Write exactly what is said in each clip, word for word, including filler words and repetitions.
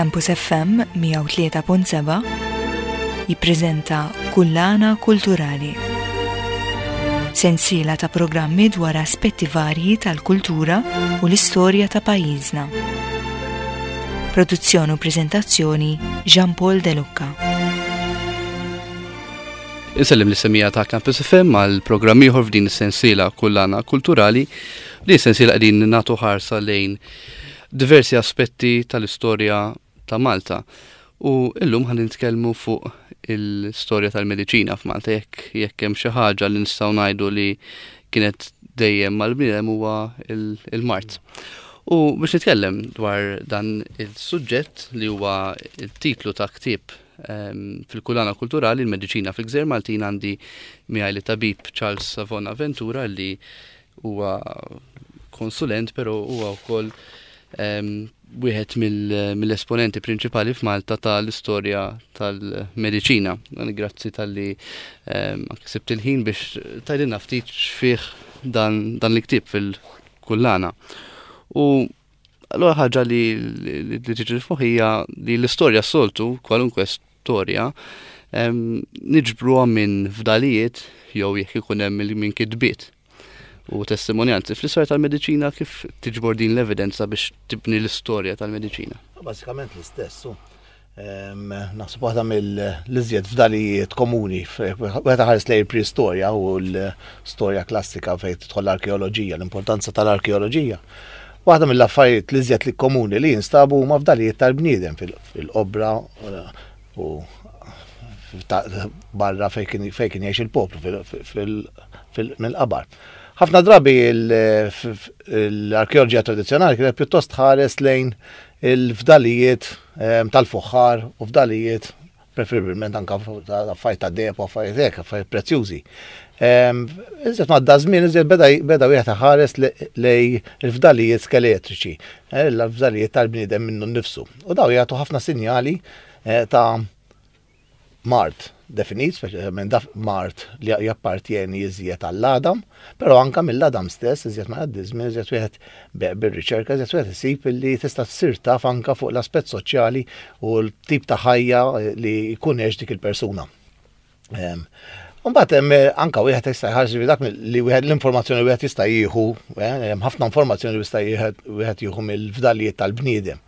Campus F M mija u tlieta punt seba' jippreżenta Kullana Kulturali. Sensiela ta' programmi dwar aspetti varji tal-kultura u l-istorja ta' pajjiżna. Produzzjoni u preżentazzjoni, Jean Paul De Lucca. Insellem lis-semmiegħa ta' Campus F M għal programm ieħor f'din is-sensiela Kullana Kulturali. Din is-sensiela qegħdin nagħtu ħarsa lejn diversi aspetti tal-istorja ta' Malta. U illum ħa nitkellmu fuq il-istorja tal-mediċina f'Malta. jekk jekk hemm xi ħaġa li nistgħu ngħidu li kienet dejjem mal-bniedem, huwa il-mard. U biex nitkellem dwar dan il-suġġett, li huwa il-titlu ta' ktieb fil-Kullana Kulturali, Il-Mediċina fil-Gżejjer Maltin, għandi miegħi lit-tabib Charles Savona Ventura, li huwa konsulent, però huwa wkoll wieħed mill-esponenti prinċipali f'Malta tal-istorja tal-mediċina. Grazzi talli sibt il-ħin biex tgħidilna ftit x'fih dan, dan l-ktieb fil-kullana. U allura ħaġa li li tiġi f'moħħi li l-istorja soltu, kwalunkwe storja, niġbruha minn fdalijiet jew jekk ikun hemm minn kitbiet u testimonjanzi. Fl-istorja tal-mediċina, kif tiġbor din l-evidenza biex tibni l-istorja tal-mediċina? Bażikament l-istess. Naħseb waħda mill-iżjed fdalijiet komuni, wieħed ħares lejn preistorja u l-storja klassika fejn tidħol l-arkeoloġija, l-importanza tal-arkeoloġija. Waħda mill-affarijiet l-iżjed li komuni li jinstabu huma fdalijiet tal-bniedem fil-qobra u barra fejn kien jgħix il-poplu mill-qabar. Ħafna drabi l-arkeoloġija tradizzjonali kienet pjuttost ħares lejn il-fdalijiet ehm, tal-fuħħar u fdalijiet preferibilment anka affarijiet ta' deheb u affarijiet hekk, affarijiet prezzjużi. Ehm, iżjed ma żmien, iżjed beda wieħed ħares lejn il-fdalijiet skeletriċi, eh, l-fdalijiet tal-bniedem minnu nnifsu. U daw jagħtu ħafna sinjali eh, ta' mard definit, speċjalment daf mard li jappartjeni iżjed għall-għadam, però anka mill-għadam stess, iżjed ma jgħaddi żmien, iżjed wieħed bir-riċerka, iżjed wieħed isib li tista' tsir taf anka fuq l-aspett soċjali u l-tip ta' ħajja li jkun għex dik il-persuna. Mbagħad hemm anka wieħed jista' jħarġ dak li wieħed l-informazzjoni wieħed jista' jieħu, eh, hemm ħafna informazzjoni li jista' wieħed jieħu mill-fdalijiet tal-bniedem,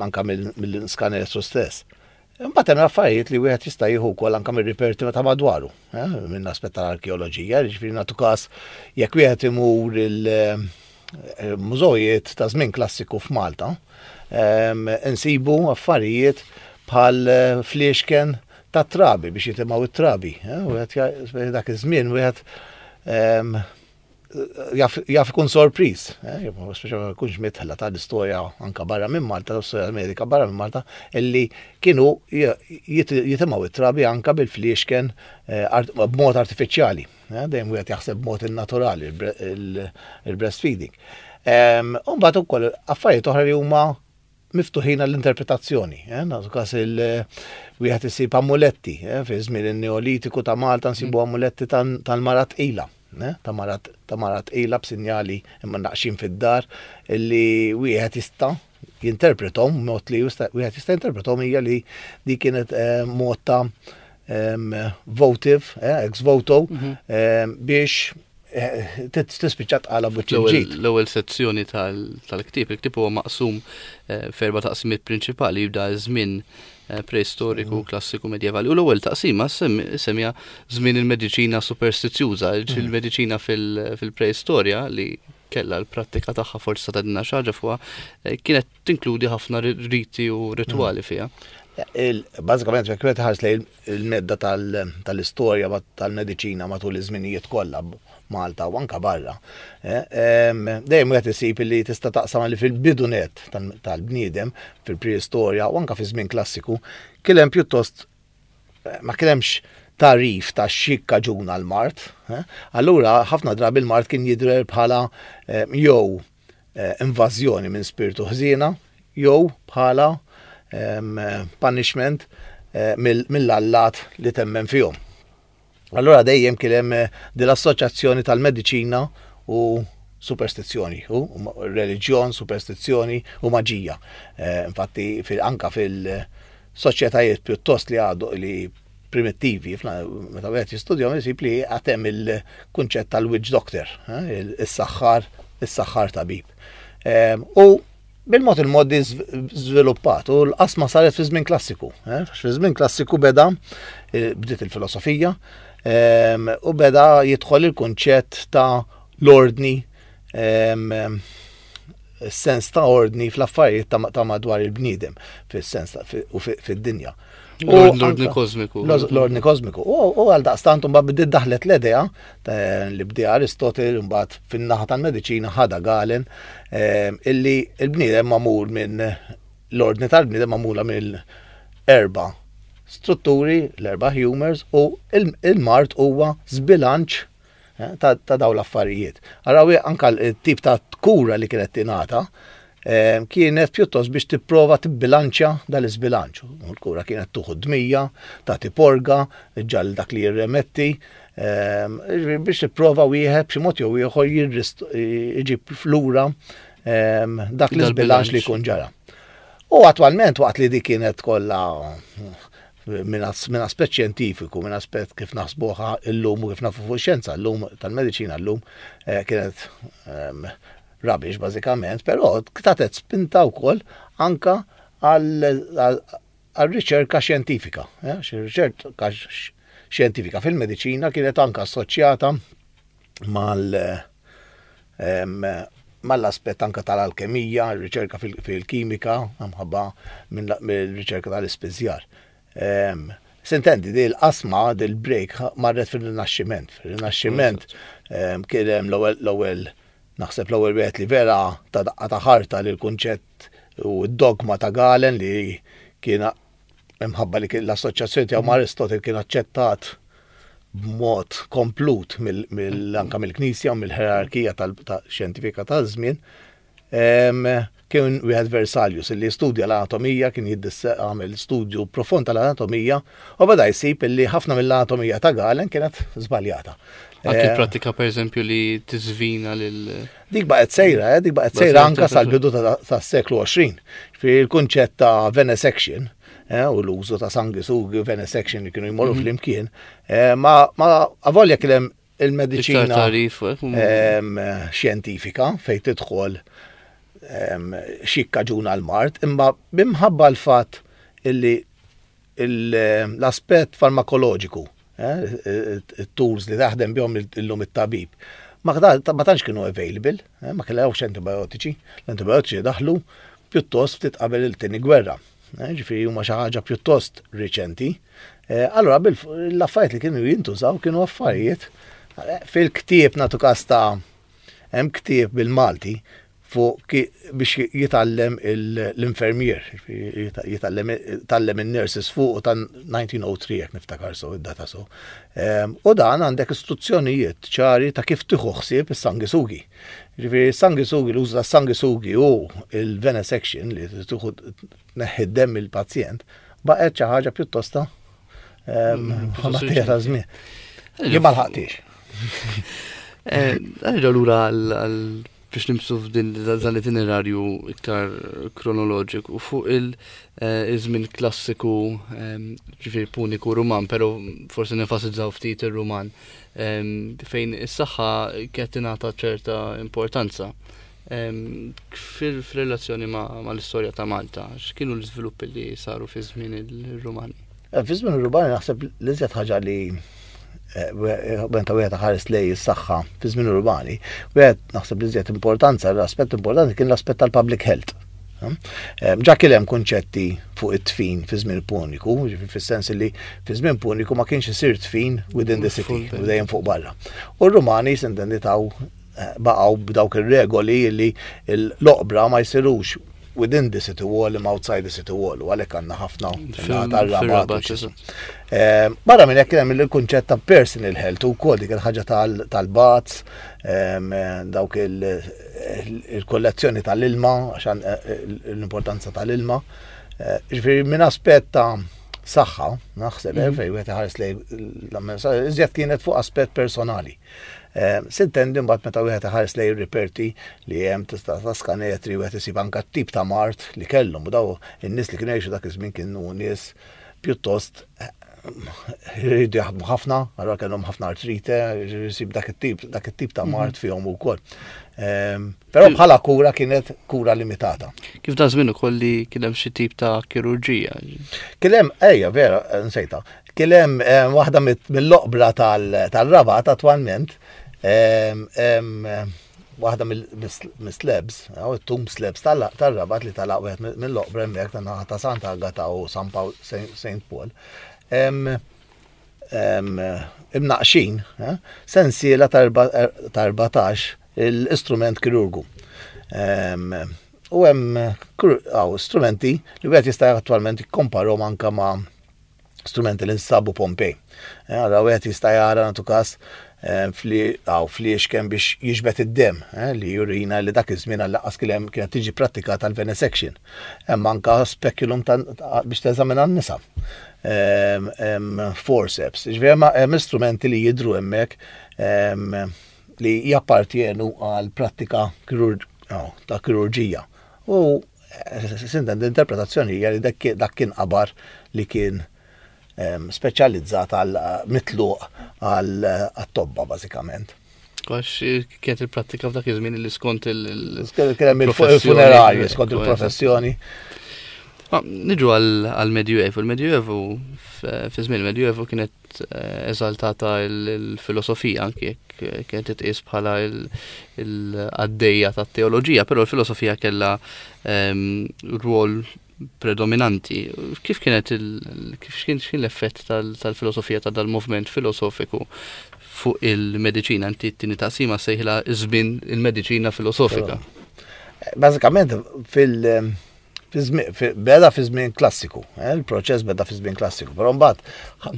anka mill-skeletru stess. Imbagħad hemm affarijiet li wieħed jista' jieħu wkoll anke mir-reperti ta' madwaru, eh, minn aspett tal-arkeoloġija, jiġifieri nagħtu każ jekk wieħed imur il-mużewijiet ta' żmien klassiku f'Malta, insibu affarijiet bħal fliexken ta' trabi biex jitimgħu it-trabi. Eh, wieħed dak iż-żmien wieħed jaf ikun sorpriż, eh, speċjalment jkunx midħla tal-istorja anka barra minn Malta, l-istorja medika barra minn Malta, illi kienu jitimgħu it-trabi anka bil-fliexken eh, b'mod artifiċjali. Eh, dejjem wieħed jaħseb b'mod naturali il-breastfeeding. Umbagħad ukoll affarijiet oħra li huma miftuħin għall-interpretazzjoni. Nagħtu każ il-wieħed isib amuletti, fi żmien in-Neolitiku ta' Malta nsibu mm. amuletti tal-mara tqila, ta' mara tqila b'sinjali imma naqxin fid-dar illi wieħed jista' jinterpretom, mod li wieħed jista' jinterpretom hija li di kienet eh, mod ta' votive, eh, ex voto, mhm. biex eh, tispiċċa tqala buċ. L-ewwel sezzjoni tal-ktieb, il-ktieb huwa maqsum f'erba' taqsimiet prinċipali, jibda żmien Eh, preistoriku, mm. klassiku, medjevali. U l-ewwel taqsima semmija Żmien il-mediċina superstizjuża, mm. il-mediċina fil-preistorja, li kella l-prattika tagħha, forsi ta' dinna xaġa fuqha, eh, kienet tinkludi ħafna riti u rituali mm. fiha. Bażikament, jekk wieħed ħares lejn il-medda tal-istorja tal-mediċina matul iż-żminijiet kollha Malta u anka barra, eh, dejjem wieħed isib li tista' taqsam li fil-bidu net tal-bniedem, fil-preistorja u anka fi żmien klassiku, kien hemm pjuttost eh, ma kien hemmx tagħrif ta' xi kaġuna l-mard. Eh. Allura ħafna drabi l-mard kien jidher bħala jew invażjoni minn spiritu ħżiena jew bħala punishment mill-allat li temmen fihom. Allora dejjem kien hemm eh, din l-assoċjazzjoni tal-mediċina u superstizzjoni, u reliġjon, superstizzjoni u maġija. Eh, infatti anka fil-soċjetajiet pjuttost li għadu li primittivi, meta wieħed jistudjahom isib li għad hemm il-kunċett tal-witch doctor, eh, is-saħħar, is-saħħar tabib. Eh, u bil-mod il-mod żviluppat u l-qasma saret fi żmien klassiku. Fi żmien klassiku beda bdiet il-filosofija u beda jidħol il-kunċett ta' l-ordni, sens ta' ordni fl-affarijiet ta' madwar il-bniedem, fis-sens u fid-dinja. L-ordni kosmiku. L-ordni kosmiku. U għal daqstant mbagħad bdiet daħlet l-idea li bdi Aristotle, mbagħad fin-naħa tal-mediċina ħada Galen, illi l-bniedem magħmul minn l-ordni tal-bniedem magħmula mill erba' strutturi, l-erba' humors, u il-mard huwa żbilanċ eh, ta' dawn l-affarijiet. Araw anka l-tip ta' kura li kienet tingħata eh, kienet pjuttost biex tipprova tibbilanċja dal-iżbilanċ. U l-kura kienet tieħu dmija, tagħti porga, ġal dak li jirremetti, eh, biex tipprova wieħed b'xi mod jew ieħor iġib lura dak l-iżbilanċ li jkun ġara. U attwalment, waqt li dik kienet kollha minn aspett xjentifiku, minn aspett kif naħsbuha illum u kif nafu fuq xjenza llum tal-mediċina llum, eh, kienet ehm, rubbish bażikament, però tatet spinta wkoll anka għal riċerka xjentifika. Eh, riċerka xjentifika fil-mediċina kienet anka assoċjata mal ehm, mal-aspett anka tal-alkemija, riċerka fil-kimika, mħabba mill-riċerka tal-ispiżjar. S'intendi, di l-qasma, dil-break, marret fil-Rinaxximent. Fil-Rinaxximent kien hemm l-ewwel, naħseb l-ewwel wieħed li vera ta daqqa ta' ħarta li l-kunċett u d-dogma ta' Galen, li kien imħabba li l-assoċjazzjoni tiegħu ma' Aristotle kien aċċettat b'mod komplut anka mill-Knisja u mill-ħerarkija tal-xjentifika tal-żmien, kien wieħed Vesalius li studja l-anatomija, kien għamel studju profond tal-anatomija u beda jsib li ħafna mill-anatomija ta' Galen kienet żbaljata. Anke eh, pratika, per eżempju, li tiżvina lil Dik baqgħet sejra, eh, dik baqgħet sejra anka sal-bidu tas-seklu għoxrin. Fi il-kunċett ta' venesection eh, u l-użu ta' sangisugi u venesection li kienu jmorru mhm. flimkien, ma avolja kien hemm il-mediċina xjentifika fejn tidħol x'jikkaġuna l-mard, imma bimħabba l-fatt illi l-aspett farmakoloġiku, eh, it-tools li taħdem bihom illum it-tabib, ma tantx kienu available, eh, ma kellhomx antibiotiċi, l-antibiotiċi daħlu pjuttost ftit qabel il-tieni gwerra. Eh, ġifieri huma xi ħaġa pjuttost riċenti. Allora l-affarijiet li kienu jintużaw kienu affarijiet fil-ktieb, nagħtu kas ta' hemm ktieb bil-Malti fuq biex jitgħallem l-infermier, jitgħallem il-nurses fuq ta' elf disa' mija u tlieta jekk niftakar so, id-data so. U dan għandek istruzzjonijiet ċari ta' kif tieħu ħsieb is-sangisugi. Ġifieri sanguisugi, l-użu ta' sangisugi u il-venesection li tieħu tneħħi demm il-pazjent baqgħet xi ħaġa pjuttosta ta' żmien. Jien ma lħaqtix. Nerġgħu lura għal biex nimxu f'din dan l-itinerarju iktar kronoloġiku fuq il-żmien klassiku, ġifieri Puniku, Ruman, pero forsi nenfasizzaw ftit ir-Ruman, fejn is-saħħa kienet tingħata ċerta importanza. Fil-relazzjoni ma' l-istorja ta' Malta, x'kienu l-iżviluppi li saru fi żmien il-Rumani? Eh, fi żmien ir-Rumani naħseb l-iżjed ħaġa li meta wieħed ħares lej is-saħħa fi żmien urbani, wieħed naħseb li żjed importanza, l-aspett importanti kien l-aspett tal-public health. Ġa kien hemm kunċetti fuq it-tfin fi żmien Puniku, fis-sens li fi żmien Puniku ma kienx isir tfin within the city, u dejjem fuq barra. U r-Rumani s'intendi taw eh, baqgħu b'dawk ir-regoli li l-oqbra ma jsirux within the city wall imma outside the city wall, u għalhekk għandna ħafna tar-Rabat. Eh, barra minn hekk hemm il-kunċett ta' personal health u wkoll dik il-ħaġa tal-baths, dawk il-kollezzjoni tal-ilma, għaxan eh, l-importanza tal-ilma. Eh, ġifieri minn aspett ta' saħħa, naħseb, mm -hmm. fejn wieħed iħares lejn iżjed kienet fuq aspett personali. Sintendi mbagħad meta wieħed iħares lejn reperti li hemm tista' ta' skanetri, wieħed isib anke tip ta' mard li kellhom, u daw in-nies li kienu jgħixu dak iż-żmien kienu nies pjuttost jridu jaħdmu ħafna, allura kellhom ħafna artrite, jisib dak it-tip dak it-tip ta' mard fihom ukoll. Però bħala kura kienet kura limitata. Kif da żmien ukoll li kien hemm xi tip ta' kirurġija? Kien hemm, ejja, vera, nsejta. Kien hemm waħda mill-oqbra tal-Rabat attwalment, waħda mill-slabs, it-tomb slabs tal-Rabat li talaq wieħed mill-oqbra hemmhekk ta' ta' Santa Agata u San Paul, Saint Paul. Imnaqxin, sensiela ta' erbatax l-istrument kirurgu. U hemm strumenti li wieħed jista' attwalment jikkomparhom anke ma' strumenti li nsabu Pompej. Allora wieħed jista' jara, nagħtu każ, fliexken biex jiġbed id-dem, li jurina li dak iż-żmien għall-lanqas kien kienet tiġi prattikata l-venesection. Hemm anka speculum biex teżamina n-nisa. Forceps. Ġifieri hemm istrumenti li jidru hemmhekk li jappartjenu għal prattika ta' kirurġija. U sinten l-interpretazzjoni hija li dak kien qabar li kien speċjalizzat għal mitluq għal tobba bażikament. Għax kienet il-prattika f'dak iż-żmien li skont il- Kien hemm il-funerarji skont il-professjoni. Niġu għal-Medjuevu. Il-Medjuevu, fi żmien il-Medjuevu kienet eżaltata il-filosofija, anki jekk kienet titqies bħala il-għaddejja tat-teoloġija, però l-filosofija kellha rwol predominanti. Kif kienet il kif kien l-effett tal-filosofija, ta' dal-movement filosofiku fuq il-mediċina? Inti t-tieni taqsima sejħilha "Żmien il-mediċina filosofika". Bażikament fil- beda fi żmien klassiku, eh, il-proċess beda fi żmien klassiku, però mbagħad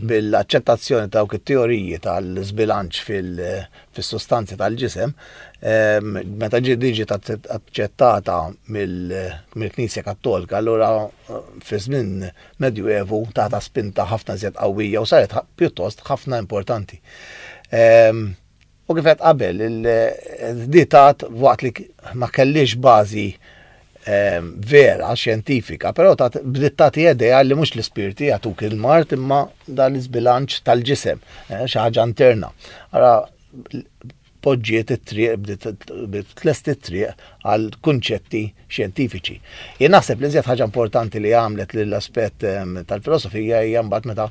bil-aċċettazzjoni ta' dawk it-teoriji tal-żbilanċ fil-sostanzi tal-ġisem, meta ġiet aċċettata mill-Knisja Kattolika, allura fi żmien Medjuevu tata spinta ħafna żjed qawwija u saret pjuttost ħafna importanti. U kif qed qabel, il-ditat waqt li ma kellix bażi vera, xjentifika, però bdiet tagħti idea li mhux l-ispirti jagħtuk il-mard imma dan l-iżbilanċ tal-ġisem, eh, xi ħaġa interna. Ara poġġiet it-triq, bdiet tlest it-triq għal kunċetti xjentifiċi. Jien naħseb li iżjed ħaġa importanti li għamlet lill-aspett tal-filosofija hija mbagħad meta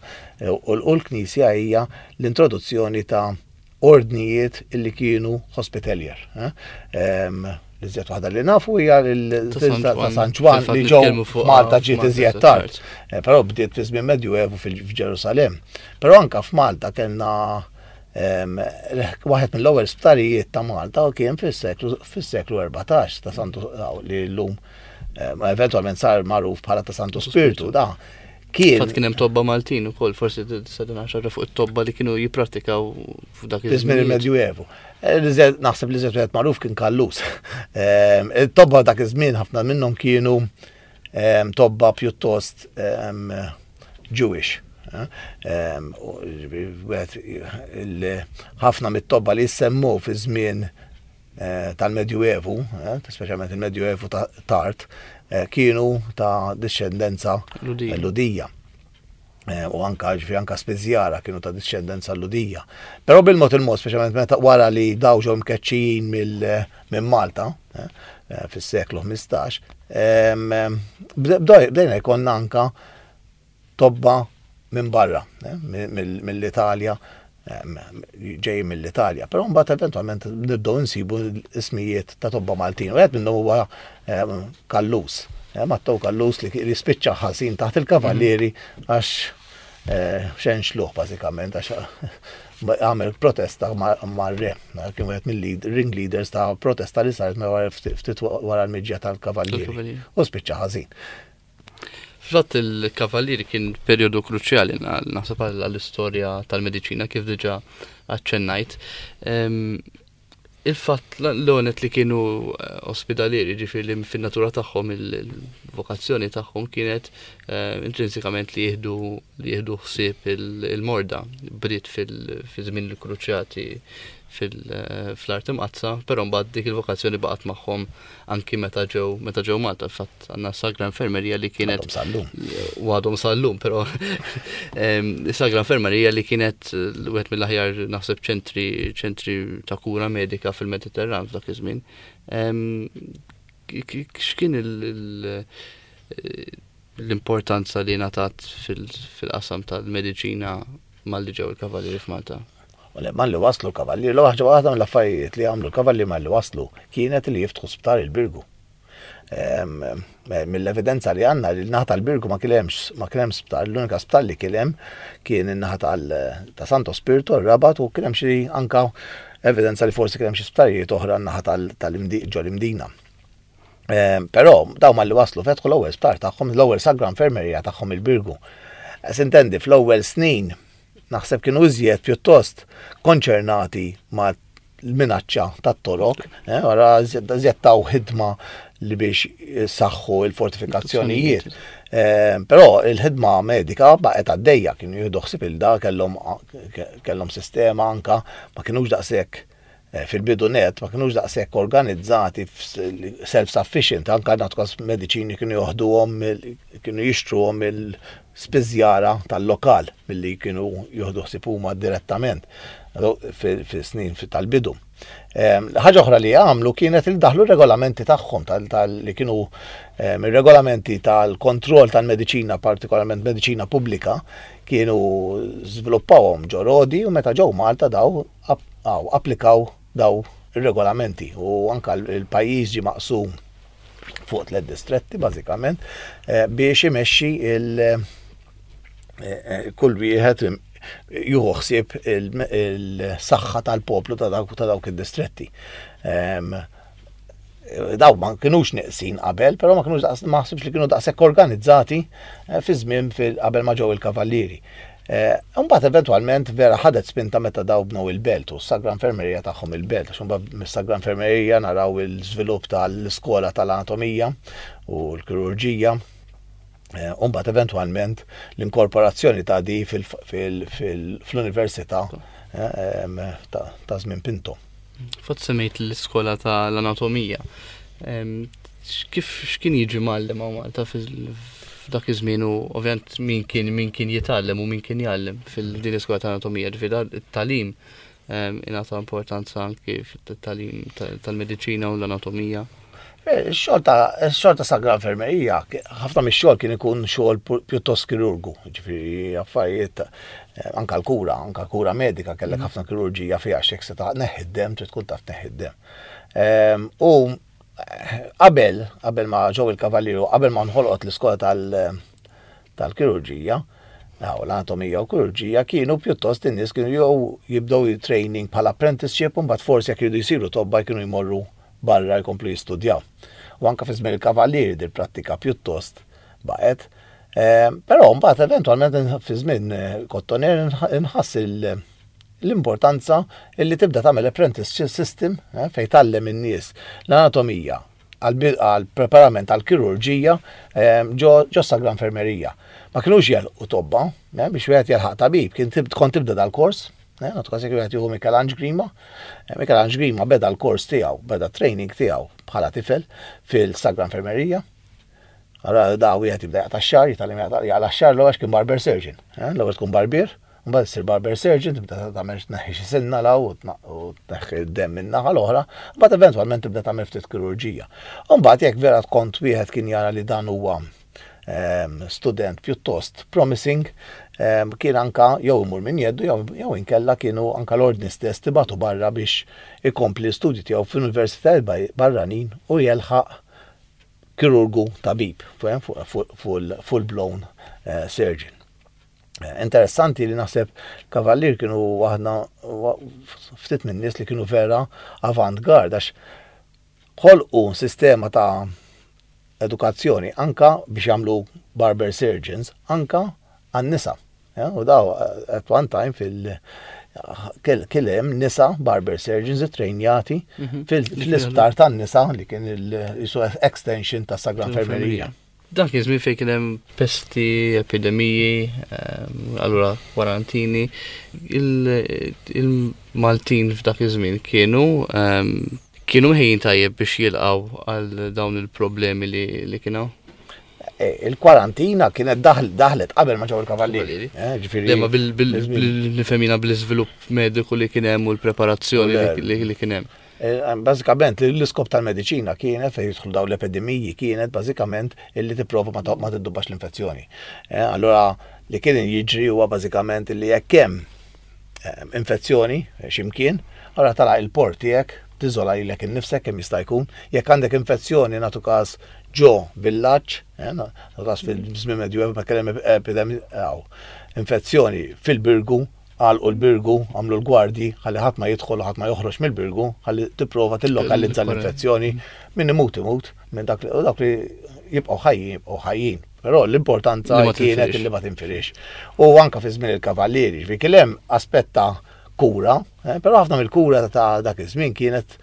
u l-Knisja hija l-introduzzjoni ta' ordnijiet illi kienu hospitalier. L-iżjed waħda li nafu hija ta' San Ġwann li ġew Malta, ġiet iżjed tard. Eh, però bdiet fi żmien Medjuevu fil-Ġerusalem. Però anka f'Malta kellna waħed mill-ewwel sptarijiet ta' Malta u kien fis-seklu fis-seklu erbatax ta' Santu li llum eventwalment sar magħruf bħala ta' Santu Spirtu da. Kien Fatt kien hemm tobba Maltin ukoll, forsi tista' xi fuq it-tobba li kienu jippratikaw f'dak iż-żmien il-Medjuevu. Naħseb li żed wieħed magħruf kien Kallus. It-tobba dak iż-żmien ħafna minnhom kienu tobba pjuttost Jewish. Ħafna mit-tobba li jissemmu fi żmien tal-Medjuevu, speċjalment il-Medjuevu tard, kienu ta' discendenza Lhudija. U anka ġifieri anka spiżjara kienu ta' discendenza Lhudija. Però bil-mod il-mod, speċjalment meta wara li daw ġew mkeċċijin minn Malta fis-seklu ħmistax, bdejna jkollna anka tobba minn barra, mill-Italja, ġej mill-Italja. Però mbagħad eventwalment nibdew insibu ismijiet ta' tobba Maltin. U wieħed minnhom huwa Kallus. Mattew Kallus li spiċċa ħażin taħt il-kavallieri għax xejn xluħ bażikament, għax għamel protesta mar-re. Kien wieħed mill-ring leaders ta' protesta li saret ftit wara l-miġja tal-kavallieri. U spiċċa ħażin. Fil-fatt il-kavallieri kien perjodu kruċjali naħseb għall-istorja tal-mediċina, kif diġà aċċennajt. Il-fatt l-onet li kienu eh, ospedalieri, ġifieri li fin-natura tagħhom, il-vokazzjoni tagħhom kienet eh, intrinsikament li jieħdu li jieħdu ħsieb il-morda. Bdiet fil-żmien il-kruċjati fl-Art Imqaddsa, però mbagħad dik il-vokazzjoni baqgħet magħhom anki meta ġew meta ġew Malta. Fatt għandna Sagra Infermerija li kienet u għadhom sal-lum, però Sagra Infermerija li kienet wieħed mill-aħjar, naħseb, ċentri ċentri ta' kura medika fil-Mediterran f'dak iż-żmien. X'kien l-importanza li ngħatat fil-qasam tal-mediċina malli ġew il-kavallieri f'Malta? Malli waslu l-kavallieri, l-waħda waħda mill-affarijiet li għamlu l-kavallieri malli waslu kienet li jiftħu sptar il-Birgu. Mill-evidenza li għandna, li n-naħa tal-Birgu ma kienx ma kienx sptar, l-unika sptar li kien hemm kien in-naħa ta' Santo Spirito, r-Rabat, u kien hemm xi anka evidenza li forsi kien hemm xi sptarijiet oħra n-naħa tal-ġo l-Imdina. Però daw malli waslu fetħu l-ewwel sptar tagħhom, l-ewwel Sagra Infermerija tagħhom il-Birgu. Sintendi, fl-ewwel snin naħseb kienu iżjed pjuttost konċernati ma' l-minaċċa tat-Torok, wara iżjed taw ħidma li biex saħħu il-fortifikazzjonijiet. Però il-ħidma medika baqgħet għaddejja, kienu jieħdu ħsieb il-da, kellhom kellhom sistema anka, ma kinux daqshekk fil-bidu net, ma kinux daqshekk organizzati self-sufficient, anka nagħtu mediċini kienu joħduhom, kienu jixtruhom il-spiżjara tal-lokal milli kienu joħdu ħsieb huma direttament fil-snin tal-bidu. Ħaġa oħra li għamlu kienet il daħlu regolamenti tagħhom li kienu ir-regolamenti tal-kontroll tal-mediċina, partikolarment mediċina pubblika, kienu żviluppawhom ġo Rodi u meta ġew Malta daw applikaw daw ir-regolamenti u anka l-pajjiż ġie maqsum fuq tliet distretti bażikament biex imexxi il kull wieħed jieħu ħsieb il-saħħa tal-poplu ta' dawk id-distretti. Daw ma kinux neqsin qabel, però ma kinux, ma ħsibx li kienu daqshekk organizzati fi żmien qabel ma ġew il-kavallieri. Mbagħad eventwalment vera ħadet spinta meta daw bnew il-belt u s-Sagra Infermerija tagħhom il-belt, għax imbagħad mis-Sagra Infermerija naraw il-żvilupp tal-iskola tal-anatomija u l-kirurġija. U mbagħad eventwalment l-inkorporazzjoni ta' di fl-università ta' żmien Pinto. Fatt semmejt l-iskola tal-anatomija. Kif x'kien jiġi mgħallem hawn Malta f'dak iż-żmien u ovvjament min kien min kien jitgħallem u min kien jgħallem fil-din l-iskola tal-anatomija, ġifieri it-tagħlim ingħata importanza anki fit-tagħlim tal-mediċina u l-anatomija? Ix-xogħol ta' ix-xogħol ta' Sagra Infermerija, ħafna mix-xogħol kien ikun xogħol pjuttost kirurgu, ġifieri affarijiet anka l-kura, anka l-kura medika kellek ħafna kirurġija fiha, x'jekk se tneħħi d-demm trid tkun taf tneħħi d-demm. U qabel qabel ma ġew il-kavallieri, qabel ma nħolqot l-iskola tal-kirurġija, u l-anatomija u kirurġija, kienu pjuttost in-nies kienu jew jibdew training bħala apprenticeship u mbagħad forsi jekk jridu jsiru tobba jkienu jmorru barra jkomplu jistudjaw. U anka fi żmien il-kavallieri dil prattika pjuttost baqgħet. Però mbagħad eventwalment fi żmien Cotoner inħass l-importanza illi tibda tagħmel apprentice system fejn tgħallem in-nies l-anatomija għal preparament għal kirurġija ġo Sagra Infermerija. Ma kinux jelqu tobba, biex wieħed jelħaq tabib, kien kont tibda dal-kors, nagħtu każ jekk wieħed jieħu Michelangelo Grima. Michelangelo Grima beda l-kors tiegħu, beda training tiegħu bħala tifel fil-Sagra Infermerija. Allora da wieħed jibda jaqta' x-xagħar, jitgħallem jaqla' x-xagħar l-ewwel kien barber surgeon. L-ewwel tkun barbier, mbagħad issir barber surgeon, tibda tagħmel tneħħi xi sinna law u tneħħi d-demm min-naħa l-oħra, mbagħad eventwalment tibda tagħmel ftit kirurġija. U mbagħad jekk vera kont wieħed kien jara li dan huwa student pjuttost promising, kien anka jew imur minn jeddu jew inkella kienu anka l-ordni stess tibatu barra biex ikompli l-studji tiegħu fl-universitajiet barranin u jelħaq kirurgu tabib, full blown surgeon. Interessanti li naħseb kavallier kienu waħda ftit minn nies li kienu vera avant-garde, għax ħolqu sistema ta' edukazzjoni anka biex jagħmlu barber surgeons anka għan-nisa. U daw at one time fil Kien hemm nisa barber surgeons trejnjati mhm. fil-isptar tan-nisa li kien il extension ta' Sagra Infermerija. Dak kien żmien fejn kien hemm pesti, epidemiji, ehm, allura kwarantini. Il-Maltin f'dak iż-żmien kienu ehm, kienu mħejjin tajjeb biex jilqgħu għal dawn il-problemi li kienu? E, il-kwarantina kienet daħlet qabel ma ġew il-kavallieri. Eh, ġifieri. Bil-nifhemina bl-iżvilupp mediku li kien hemm u l-preparazzjoni li kien hemm. Eh, bażikament l-iskop tal-mediċina kienet fejn jidħlu dawn l-epidemiji kienet bażikament illi tipprova ma tiddubbax l-infezzjoni. Eh, allura li kien jiġri huwa bażikament illi jekk hemm eh, infezzjoni x'imkien, allura tagħlaq il-port tiegħek, tiżola lilek innifsek kemm jista' jkun. Jekk għandek infezzjoni, nagħtu każ, ġo villaġġ, nagħtu każ fil-żmien medju ma kien hemm epidemija, infezzjoni fil-Birgu, għalqu l-Birgu, għamlu l-gwardji, ħalli ħadd ma jidħol u ħadd ma joħroġ mill-Birgu, ħalli tipprova tillokalizza l-infezzjoni, min imut imut, minn dak li jibqgħu ħajjin jibqgħu ħajjin. Però l-importanza kienet li ma tinfirix. U anka fi żmien il-kavallieri, ġifieri kien hemm aspett ta' kura, eh, però ħafna mill-kura ta' dak iż-żmien kienet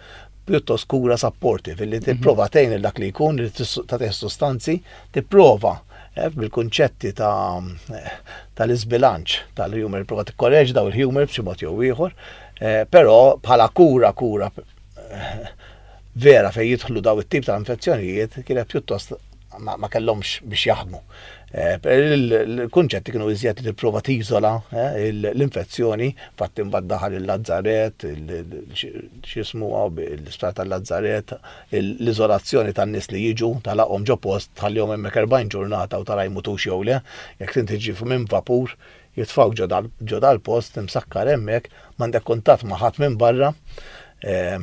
pjuttost kura supportive, li tipprova tgħin dak li jkun, li tagħtih sostanzi, tipprova eh, bil-kunċetti ta' tal-iżbilanċ tal-humor, prova tikkorreġi daw il-humor b'xi mod jew ieħor, eh, però bħala kura kura eh, vera fejn jidħlu daw it-tip ta' infezzjonijiet kienet pjuttost ma, ma kellhomx biex jaħdmu. Eh, il-kunċetti kienu iżjed li tipprova tiżola eh, l-infezzjoni, fatti mbagħad daħal il-lazzaret, x'jismu l-isptar tal-lazzaret, l-iżolazzjoni tan-nies li jiġu, tagħlaqhom ġo post, tħallihom hemmhekk erbgħin ġurnata u tara jmutux jew le, jekk inti tiġi minn vapur, jitfgħuk ġo dal-post, imsakkar hemmhekk, m'għandek kuntatt ma' ħadd minn barra, eh,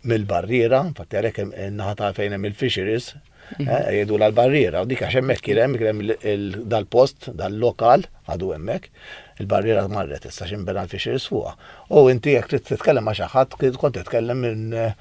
mill-barriera, infatti għalhekk in-naħa ta' fejn hemm il-fisheries, mhm. eh, jgħidu l-barriera, u dik għax hemmhekk kien hemm kien hemm dal-post, dal-lokal, għadu hemmhekk, il-barriera marret issa x'inbena l-fisheries fuqha. U inti jekk trid titkellem ma' xi ħadd, kont titkellem minn eh,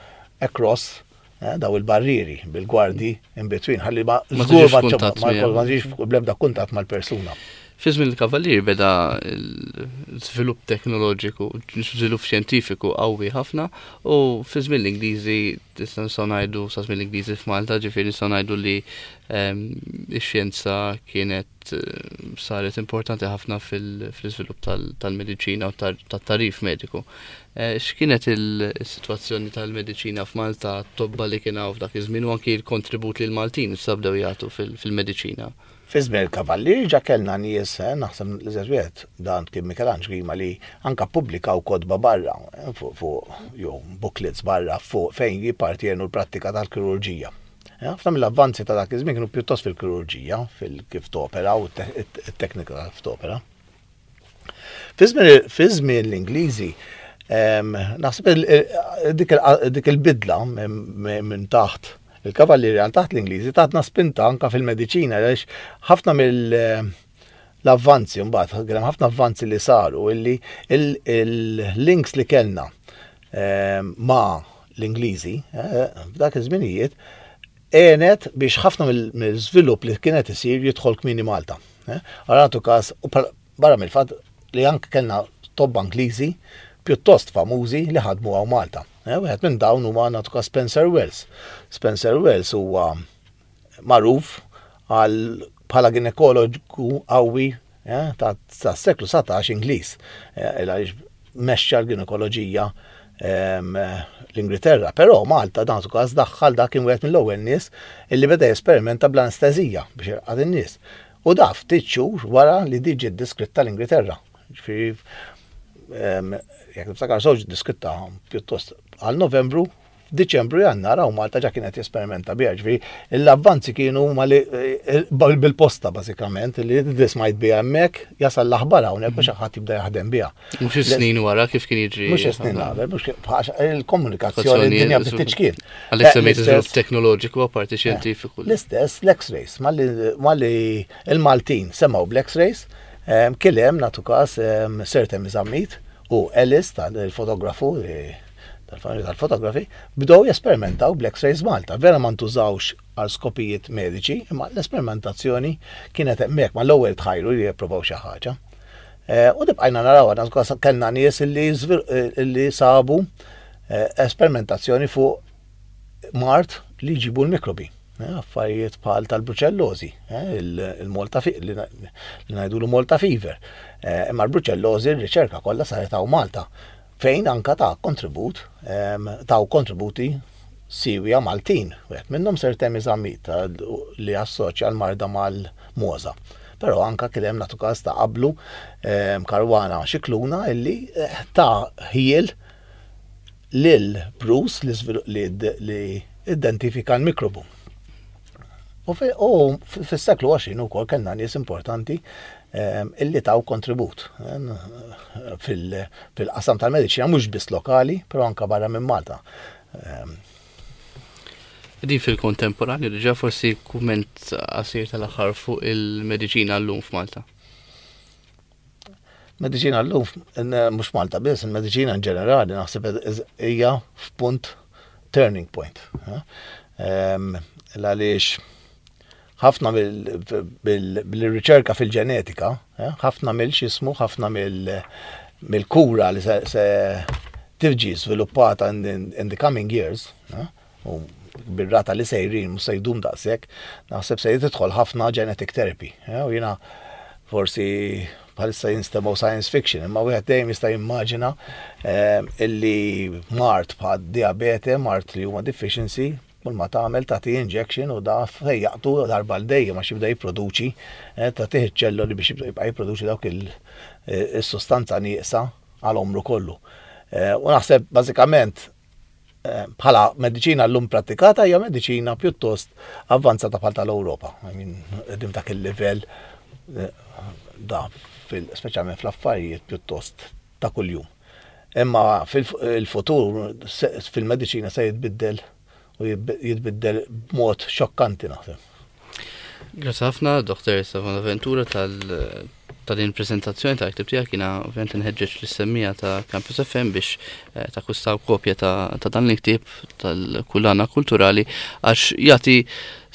across eh, daw il-barrieri bil-gwardi in between, ħalli ma żgur ma ġiex bl-ebda kuntatt mal-persuna. Fi żmien il-Kavallieri beda l-żvilupp teknoloġiku, żvilupp xjentifiku qawwi ħafna u fi żmien l-Ingliżi nistgħu ngħidu, sa żmien l-Ingliżi f'Malta, ġifieri nistgħu ngħidu li ehm, x-xjenza kienet eh, saret importanti ħafna fil-iżvilupp tal-mediċina u tat-tagħrif mediku. Eh, x'kienet il-sitwazzjoni tal-mediċina f'Malta, tobba li kien hawn f'dak iż-żmien u anki l-kontribut li l-Maltin issa bdew jagħtu fil-mediċina? Fi żmien il-Kavallieri ġa kellna nies, eh, naħseb li wieħed dan kien Michelangelo Grima li anka ppubblikaw kotba barra eh, fuq jew booklets barra fuq fejn jippartjenu l-prattika tal-kirurġija. Eh, ħafna mill-avvanzi ta' dak iż-żmien kienu pjuttost fil-kirurġija, fil-kif topera u t-teknika kif topera. Fi żmien l-Ingliżi, naħseb dik il-bidla minn taħt il-Kavallieri għal taħt l-Ingliżi tatna spinta anka fil-mediċina, għaliex ħafna mill l-avvanzi mbagħad kien hemm ħafna avvanzi li saru illi il-links li kellna ehm, ma' l-Ingliżi eh, f'dak iż-żminijiet għenet biex ħafna mill-żvilupp li kienet isir jidħol kmieni Malta. Eh. Għaratu każ, barra mill-fatt li anke kellna tobba Ingliżi pjuttost famużi li ħadmu hawn Malta. Eh, wieħed minn dawn huwa, nagħtu każ, Spencer Wells. Spencer Wells huwa magħruf għal bħala ginekologu qawwi eh, ta' seklu satax Ingliż. Eh, għaliex mexxa l-ginekoloġija ehm, l-Ingilterra, però Malta dan każ daħħal, dak kien wieħed mill-ewwel nies illi beda jesperimenta bl-anestezija biex irqad in-nies. U da ftit xhur wara li diġi diskritta l-Ingilterra. Ġifieri jekk niftakar sew diskritta pjuttost għal Novembru, f'Diċembru, Jannar hawn Malta ġa kienet jesperimenta biha, ġifieri l-avvanzi kienu eh, bil-posta bażikament, li dismajt biha hemmhekk, jasal l-aħbar hawnhekk biex ħadd jibda jaħdem biha. Mhux snin wara kif kien jiġri. Mhux snin qabel, mhux il-komunikazzjoni d-dinja bdiet tiċkien. Għalhekk eh, semmejt iżvilupp teknoloġiku apparti eh, xjentifiku. L-istess l-X-rays, malli il-Maltin semgħu bl-X-rays, kien hemm, nagħtu każ, Sir Temi Zammit u Ellis tal-fotografu tal-fotografi bdew jesperimentaw bl-X-rays Malta. Vera ma ntużawx għal skopijiet mediċi, imma l-esperimentazzjoni kienet hemmhekk, ma l-ewwel tħajru li jippruvaw xi ħaġa. Eh, u bqajna naraw, għandna kellna nies illi, illi sabu eh, esperimentazzjoni fuq mard li jġibu l-mikrobi. Eh, affarijiet bħal tal-bruċellozi, il-Malta li ngħidu l-Malta fever. Imma l-bruċellozi r-riċerka kollha saret hawn Malta, fejn anka ta' kontribut, taw kontributi siwja Maltin. Wieħed minnhom Sir Temi Zammit li assoċja l-marda mal-mogħża. Però anka kien hemm, nagħtu każ ta' qablu, Caruana Scicluna illi eh, ta ħjiel lil Bruce li, li identifika l-mikrobu. U fis-seklu għoxrin ukoll kellna nies importanti illi taw kontribut fil-qasam tal-mediċina, mhux biss lokali, però anka barra minn Malta. Din fil-kontemporanju diġà, forsi kumment qasir tal-aħħar fuq il-mediċina llum f'Malta. Mediċina llum, mhux Malta biss, il-mediċina in ġenerali naħseb hija f'punt turning point. Għaliex ħafna bil-riċerka fil-ġenetika, ħafna mill-xismu, ħafna mill-kura li se tiġi sviluppata in the coming years, u bir-rata li sejrin mhux se jdum daqshekk, naħseb se tidħol ħafna genetic therapy. U jiena forsi bħalissa jinstemgħu science fiction, imma wieħed dejjem jista' jimmaġina illi mard bħal diabete, mard li huma deficiency, kull ma tagħmel tagħti injection u da fejjaqtu darba l dejjem għax jibda jipproduċi, eh, tagħtih iċ-ċelloli biex jibqa' jipproduċi dawk il-sostanza nieqsa għal omru kollu. Eh, u naħseb bażikament eh, bħala mediċina llum pratikata hija mediċina pjuttost avvanzata bħal tal-Ewropa. I mean, qegħdin dak il-livell da speċjalment fl-affarijiet pjuttost ta' kuljum. Imma fil-futur fil-mediċina se jitbiddel u jitbiddel b'mod xokkanti, naħseb. Grazie ħafna, Doktor Stefano Ventura, tal ta' din prezentazzjoni ta' ktib tiegħek. Jiena ovvjament nħeġġeġ lis-semmiegħa ta' Campus F M biex eh, takkwistaw kopja ta', ta dan il-ktieb tal-Kullana Kulturali, għax jagħti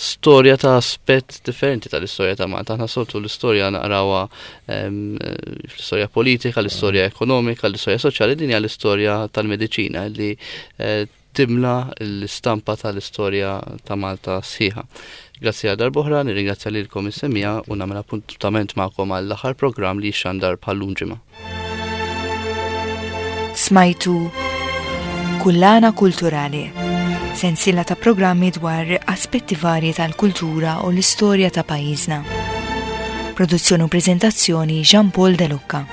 storja ta' aspett differenti tal-istorja ta' Malta. Aħna soltu l-istorja naqrawha fl-istorja politika, l-istorja ekonomika, l-istorja soċjali, din hija l-istorja tal-mediċina li eh, timla l-istampa tal-istorja ta' Malta sħiħa. Grazzi għal darb'oħra, nirringrazzja lilkom is-semmiegħa u nagħmel appuntament magħkom għall-aħħar programm li xandar bħal-lum ġimgħa. Smajtu Kullana Kulturali, sensiela ta' programmi dwar aspetti varji tal-kultura u l-istorja ta' pajjiżna. Produzzjoni u prezentazzjoni Jean Paul De Lucca.